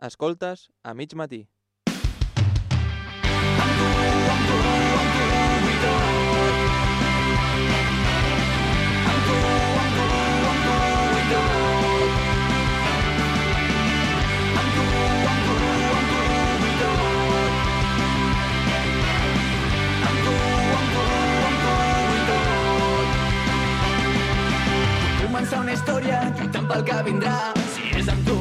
Escoltes a mig matí. Començar una història lluitant pel que vindrà. Si és amb tu,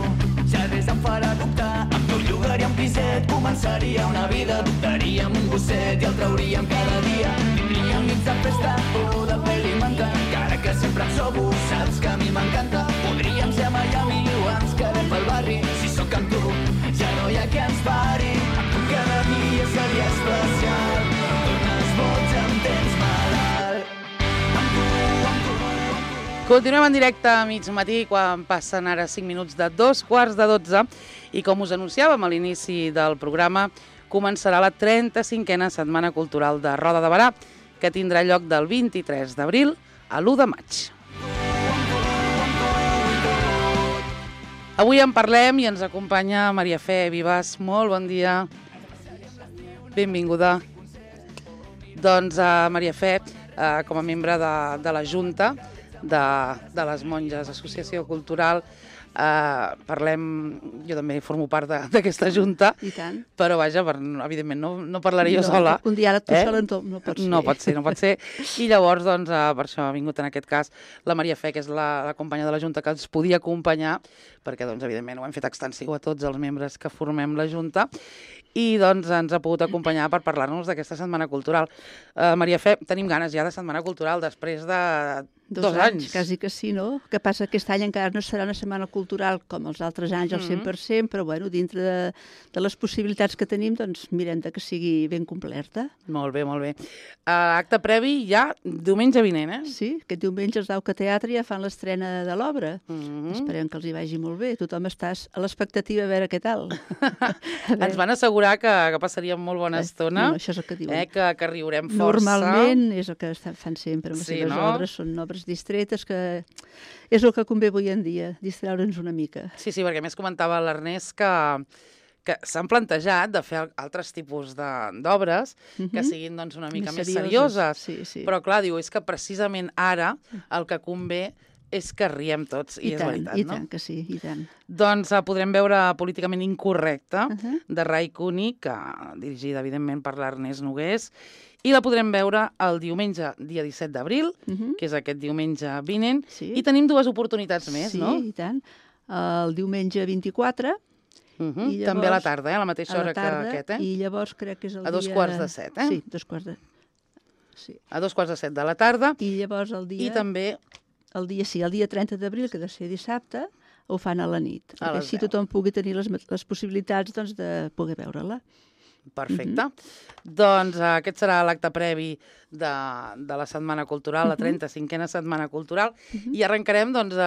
ja res em farà dubtar. Amb tu llogaria un piset, començaria una vida. Adoptaríem un gosset i el trauríem cada dia. Tindríem nits de festa o de pel·li m'encanta. Encara que sempre em sobo, saps que a mi m'encanta. Podríem ser a Miami o ens quedem pel barri. Si sóc amb tu, ja no hi ha qui ens pari. Amb tu cada dia seria especial. Em dones boig, em tens malalt. Amb tu. Continuem en directe a mig matí, quan passen ara 5 minuts de 2:15, i com us anunciàvem a l'inici del programa, començarà la 35a Setmana Cultural de Roda de Berà, que tindrà lloc del 23 d'abril a l'1 de maig. Avui en parlem i ens acompanya Maria Fe Vives. Molt bon dia. Benvinguda. Doncs Maria Fe, com a membre de la Junta de les Monges, Associació Cultural, parlem, jo també formo part d'aquesta junta, I tant. però vaja, evidentment no parlaré jo sola. Un diàleg tu sola no pot ser. No pot ser. I llavors, doncs, per això ha vingut en aquest cas la Maria Fe, que és la companya de la Junta, que ens podia acompanyar, perquè, doncs, evidentment, ho hem fet extensiu a tots els membres que formem la Junta, i doncs ens ha pogut acompanyar per parlar-nos d'aquesta Setmana Cultural. Maria Fe, tenim ganes ja de Setmana Cultural després de 2 anys. Quasi que sí, no? El que passa que aquest any encara no serà una setmana cultural com els altres anys al 100%, però bueno, dintre de les possibilitats que tenim, doncs mirem que sigui ben completa. Molt bé, molt bé. Acte previ ja diumenge vinent, eh? Sí, aquest diumenge els d'Auca Teatre ja fan l'estrena de l'obra. Esperem que els hi vagi molt bé. Tothom està a l'expectativa a veure què tal. Ens van assegurar que passaríem molt bona estona, no, això és el que diuen. Que riurem força. Normalment és el que fan sempre amb les seves obres, són obres distretes, que és el que convé avui en dia, distraure'ns una mica. Sí, perquè més comentava l'Ernest que s'han plantejat de fer altres tipus d'obres que siguin doncs, una mica més serioses. Sí. Però clar, diu, és que precisament ara el que convé és que riem tots, i és veritat, no? I tant que sí, i tant. Doncs podrem veure Políticament Incorrecte, de Ray Cooney, dirigida, evidentment, per l'Ernest Nogués, i la podrem veure el diumenge, dia 17 d'abril, que és aquest diumenge vinent, i tenim 2 oportunitats més, no? Sí, i tant. El diumenge 24, llavors, també a la tarda, a la mateixa hora que aquest, I llavors crec que és el dia... A 2:15, eh? Sí, 2:15. Sí. A 2:15 de la tarda. I llavors el dia... I també... El dia 30 d'abril, que ha de ser dissabte, ho fan a la nit. Perquè així tothom pugui tenir les possibilitats doncs, de poder veure-la. Perfecte. Doncs aquest serà l'acte previ de la Setmana Cultural, la 35a Setmana Cultural, i arrencarem, doncs,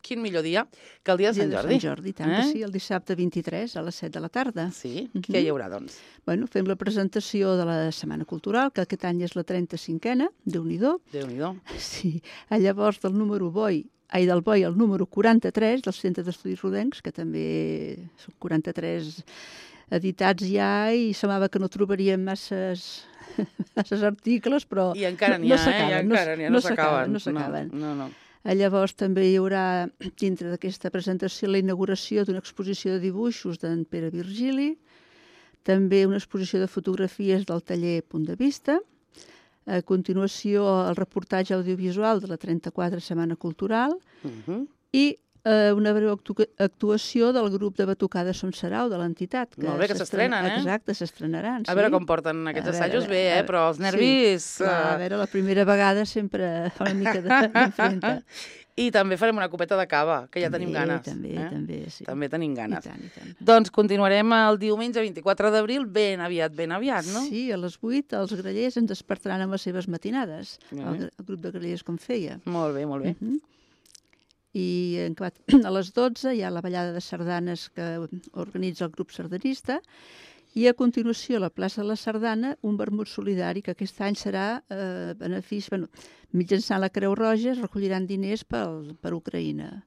quin millor dia que el dia de Sant Jordi. Sant Jordi, tant que sí, el dissabte 23 a les 7 de la tarda. Sí, què hi haurà, doncs? Bueno, fem la presentació de la Setmana Cultural, que aquest any és la 35a, Déu-n'hi-do. Déu-n'hi-do. Sí, llavors del Boi al número 43 del Centre d'Estudis Rodencs, que també són 43 editats ja, i semblava que no trobaríem masses articles, però I encara n'hi ha, no s'acaben. No s'acaben. No. Llavors també hi haurà, dintre d'aquesta presentació, la inauguració d'una exposició de dibuixos d'en Pere Virgili, també una exposició de fotografies del taller Punt de Vista, a continuació el reportatge audiovisual de la 34a Setmana Cultural i una breu actuació del grup de batucada Son Sarau, de l'entitat. Molt bé, que s'estrenen, eh? Exacte, s'estrenaran, sí. A veure com porten aquests assajos, bé, però els nervis... Sí, a veure, la primera vegada sempre fa una mica d'enfrenta. I també farem una copeta de cava, que ja tenim ganes. També, sí. També tenim ganes. I tant. Doncs continuarem el diumenge 24 d'abril, ben aviat, no? Sí, a les 8 els grallers ens despertaran amb les seves matinades, el grup de grallers com feia. Molt bé. I a les 12 hi ha la ballada de sardanes que organitza el grup sardanista, i a continuació a la plaça de la Sardana un vermut solidari que aquest any serà benefici, mitjançant la Creu Roja es recolliran diners per Ucraïna.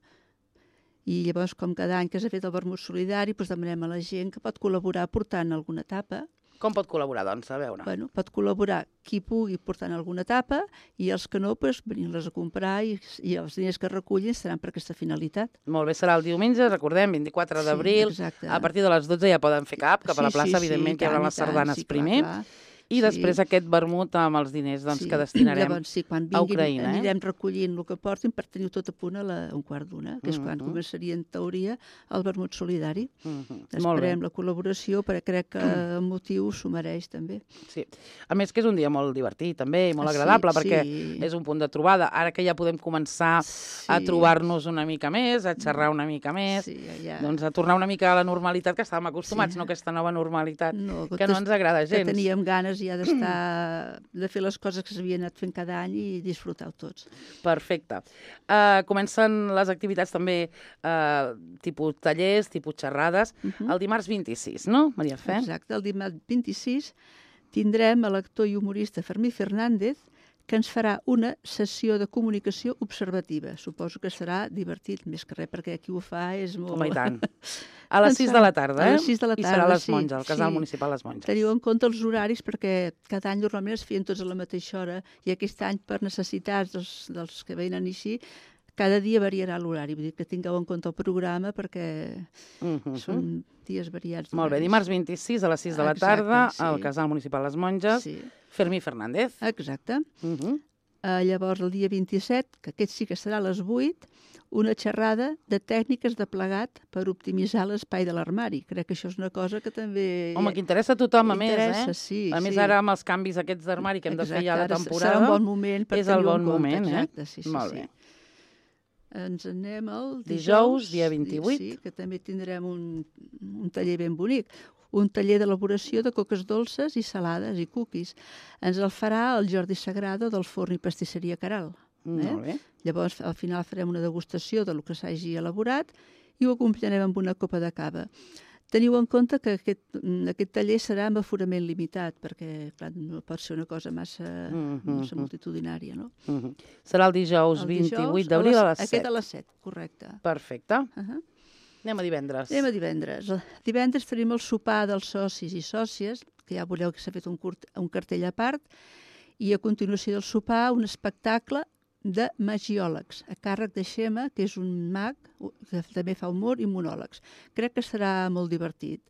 I llavors, com cada any que s'ha fet el vermut solidari, doncs demanem a la gent que pot col·laborar portant alguna tapa. Com pot col·laborar, doncs? A veure. Bueno, pot col·laborar qui pugui portant alguna tapa i els que no, doncs, venir-les a comprar i els diners que recullin seran per aquesta finalitat. Molt bé, serà el diumenge, recordem, 24 d'abril. A partir de les 12 ja poden fer cap a la plaça, evidentment, que hi haurà les sardanes primer. I després aquest vermut amb els diners que destinarem a Ucraïna. Anirem recollint el que portin per tenir tot a punt a un quart d'una, que és quan començaria, en teoria, el vermut solidari. Esperem la col·laboració, perquè crec que el motiu s'ho mereix, també. Sí. A més que és un dia molt divertit, també, i molt agradable, perquè és un punt de trobada. Ara que ja podem començar a trobar-nos una mica més, a xerrar una mica més, doncs a tornar una mica a la normalitat que estàvem acostumats, no aquesta nova normalitat que no ens agrada gens. Que teníem ganes ja de fer les coses que s'havien anat fent cada any i disfrutar-ho tots. Perfecte. Comencen les activitats també tipus tallers, tipus xerrades, el dimarts 26, no, Maria Fe? Exacte, el dimarts 26 tindrem l'actor i humorista Fermí Fernández, que ens farà una sessió de comunicació observativa. Suposo que serà divertit, més que res, perquè qui ho fa és molt... Home, i tant. A les 6 de la tarda, A les 6 de la tarda, I serà a les Monges, al Casal Municipal Les Monges. Teniu en compte els horaris, perquè cada any normalment es feien tots a la mateixa hora, i aquest any, per necessitats dels que venen així, cada dia variarà l'horari. Vull dir que tingueu en compte el programa, perquè són dies variats. Molt bé, dimarts 26 a les 6 de la tarda, al Casal Municipal Les Monges, Fermí Fernández. Exacte. Llavors, el dia 27, que aquest sí que serà a les 8, una xerrada de tècniques de plegat per optimitzar l'espai de l'armari. Crec que això és una cosa que també... Home, que interessa a tothom, a més, A més, ara amb els canvis aquests d'armari que hem de fer ja a la temporada... Serà un bon moment per tenir-ho en compte. Exacte, sí. Molt bé. Ens anem el dijous, dia 28. Sí, que també tindrem un taller ben bonic. Un taller d'elaboració de coques dolces i salades i cookies. Ens el farà el Jordi Sagrado del Forn i Pastisseria Caral. Molt bé. Llavors, al final farem una degustació del que s'hagi elaborat i ho acompanyarem amb una copa de cava. Teniu en compte que aquest taller serà amb aforament limitat, perquè clar, no pot ser una cosa massa multitudinària, no? Serà el dijous 28 d'abril a les 7. Aquest a les 7, correcte. Perfecte. Anem a divendres. Divendres tenim el sopar dels socis i sòcies, que ja veureu que s'ha fet un cartell a part, i a continuació del sopar un espectacle de magiòlegs, a càrrec de Xema, que és un mag que també fa humor i monòlegs. Crec que serà molt divertit.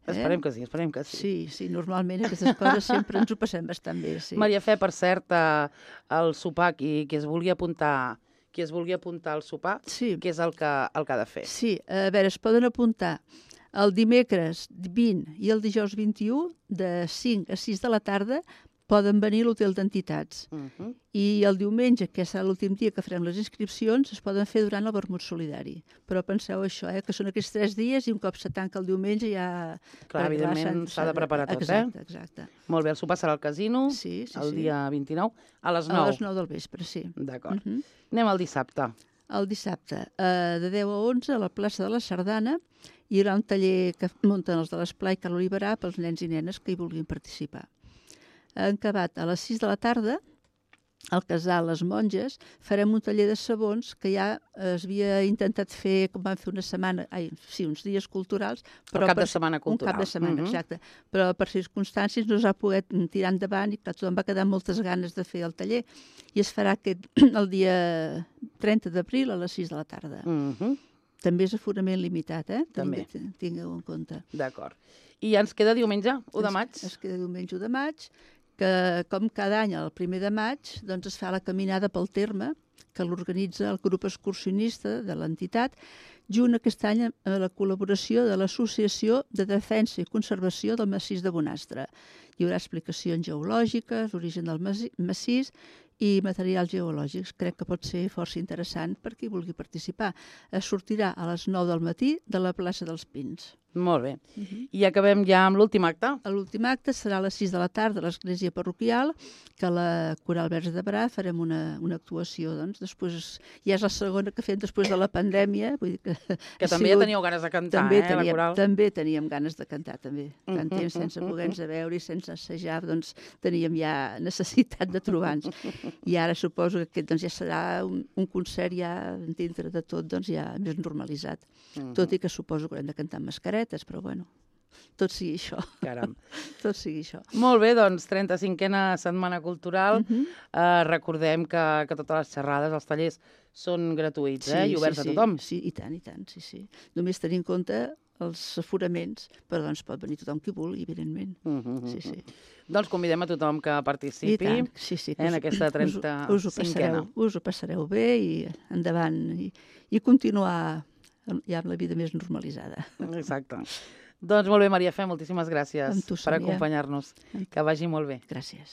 Esperem que sí. Sí, normalment aquestes coses sempre ens ho passem bastant bé. Maria Fe, per cert, el sopar, qui es vulgui apuntar al sopar, què és el que ha de fer? Sí, a veure, es poden apuntar el dimecres 20 i el dijous 21, de 5 a 6 de la tarda, poden venir a l'hotel d'entitats. I el diumenge, que serà l'últim dia que farem les inscripcions, es poden fer durant el vermut solidari. Però penseu això, que són aquests 3 dies i un cop se tanca el diumenge ja... Clar, evidentment s'ha de preparar tot, Exacte. Molt bé, el sopar serà al casino, el dia 29, a les 9. A les 9 del vespre, sí. D'acord. Anem al dissabte. El dissabte, de 10 a 11, a la plaça de la Sardana, hi haurà un taller que munten els de l'Esplai Cal Oliverà pels nens i nenes que hi vulguin participar. En acabat, a les 6 de la tarda, al Casal Les Monges, farem un taller de sabons que ja es havia intentat fer, com vam fer uns dies culturals. Un cap de setmana cultural. Un cap de setmana, exacte. Però per circumstàncies no s'ha pogut tirar endavant i tothom va quedar amb moltes ganes de fer el taller. I es farà el dia 30 d'abril a les 6 de la tarda. També és aforament limitat, També. Tingueu en compte. D'acord. I ja ens queda diumenge, 1 de maig. Es queda diumenge 1 de maig, que com cada any, el 1 de maig, doncs es fa la caminada pel terme, que l'organitza el grup excursionista de l'entitat, junt aquest any a la col·laboració de l'Associació de Defensa i Conservació del Massís de Bonastre. Hi haurà explicacions geològiques, l'origen del massís i materials geològics. Crec que pot ser força interessant per qui vulgui participar. Es sortirà a les 9 del matí de la plaça dels Pins. Molt bé. I acabem ja amb l'últim acte. L'últim acte serà a les 6 de la tarda a l'església parroquial, que a la Coral Verge de Berà farem una actuació. Doncs després ja és la segona que fem després de la pandèmia. Vull dir que també ja teníeu ganes de cantar, la Coral? També teníem ganes de cantar, també. Tant temps sense poder-nos veure i sense assajar, doncs teníem ja necessitat de trobar-nos. I ara suposo que aquest ja serà un concert ja dintre de tot ja més normalitzat. Tot i que suposo que haurem de cantar amb mascaretes, però bueno, tot sigui això. Caram. Tot sigui això. Molt bé, doncs, 35a Setmana Cultural. Recordem que totes les xerrades, els tallers, són gratuïts i oberts a tothom. Sí, i tant, sí. Només tenir en compte els aforaments, però doncs pot venir tothom qui vulgui, evidentment. Sí. Doncs convidem a tothom que participi en aquesta 35a. Us ho passareu bé i endavant, i continuar ja amb la vida més normalitzada. Exacte. Doncs molt bé, Maria Fe, moltíssimes gràcies per acompanyar-nos. Que vagi molt bé. Gràcies.